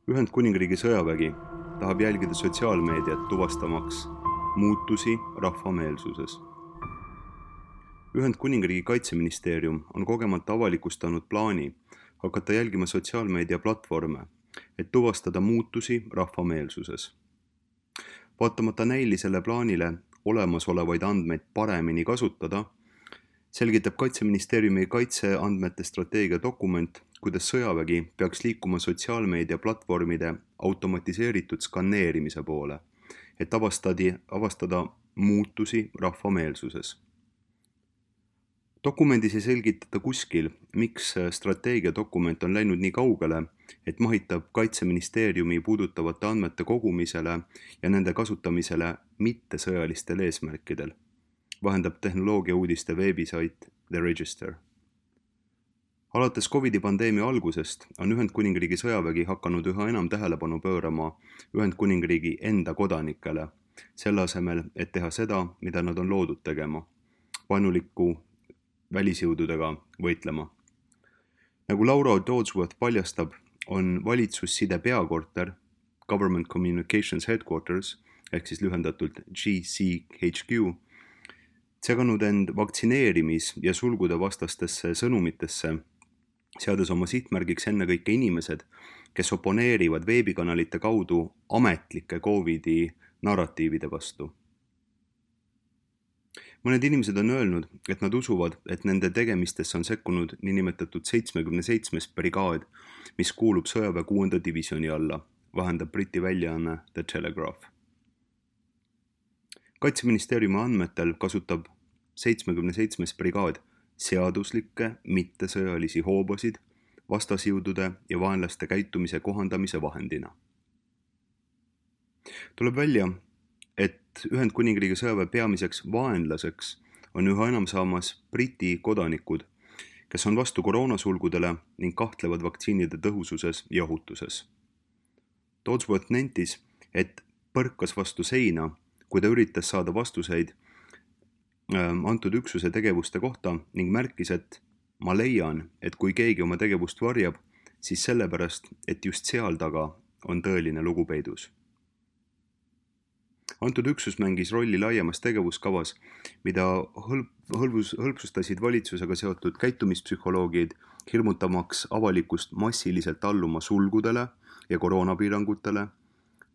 Ühendkuningriigi sõjavägi tahab jälgida sotsiaalmeediat tuvastamaks muutusi rahvameelsuses. Ühendkuningriigi kaitseministeerium on kogemata avalikustanud plaani hakata jälgima sotsiaalmeedia platvorme, et tuvastada muutusi rahvameelsuses. Vaatamata näilisele plaanile olemasolevaid andmeid paremini kasutada, selgitab Kaitseministeeriumi kaitseandmete strateegia dokument, kuidas sõjavägi peaks liikuma sotsiaalmeedia platvormide automatiseeritud skanneerimise poole, et avastada muutusi rahvameelsuses. Dokumendis ei selgitata kuskil, miks strateegiadokument on läinud nii kaugele, et mahitab Kaitseministeeriumi puudutavate andmete kogumisele ja nende kasutamisele mittesõjalistel eesmärkidel, vahendab tehnoloogiauudiste veebisait The Register. Alates COVID-pandeemia algusest on Ühendkuningriigi sõjavägi hakanud üha enam tähelepanu pöörama Ühendkuningriigi enda kodanikele, selle asemel, et teha seda, mida nad on loodud tegema, vaenuliku välisjõududega võitlema. Nagu Laura Dodsworth paljastab, on valitsusside peakorter, Government Communications Headquarters, ehk siis lühendatult GCHQ, seganud end vaktsineerimis- ja sulgude vastastesse sõnumitesse, seades oma sihtmärgiks ennekõike inimesed, kes oponeerivad veebikanalite kaudu ametlike COVID-i narratiivide vastu. Mõned inimesed on öelnud, et nad usuvad, et nende tegemistesse on sekkunud niinimetatud 77. brigaad, mis kuulub sõjaväe 6. divisjoni alla, vahendab Briti väljaanne The Telegraph. Kaitseministeeriumi andmetel kasutab 77. brigaad seaduslikke mittesõjalisi hoobasid vastasjõudude ja vaenlaste käitumise kohandamise vahendina. Tuleb välja, et Ühendkuningriigi sõjaväe peamiseks vaenlaseks on üha enam saamas Briti kodanikud, kes on vastu koroonasulgudele ning kahtlevad vaktsiinide tõhususes ja ohutuses. Dodsworth nentis, et põrkas vastu seina, kui ta üritas saada vastuseid antud üksuse tegevuste kohta ning märkis, et ma leian, et kui keegi oma tegevust varjab, siis sellepärast, et just seal taga on tõeline lugu peidus. Antud üksus mängis rolli laiemas tegevuskavas, mida hõlpsustasid valitsusega seotud käitumispsühholoogid, hirmutamaks avalikust massiliselt alluma sulgudele ja koroonapiirangutele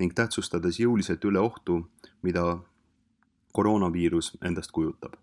ning tähtsustades jõuliselt üle ohtu, mida koroonaviirus endast kujutab.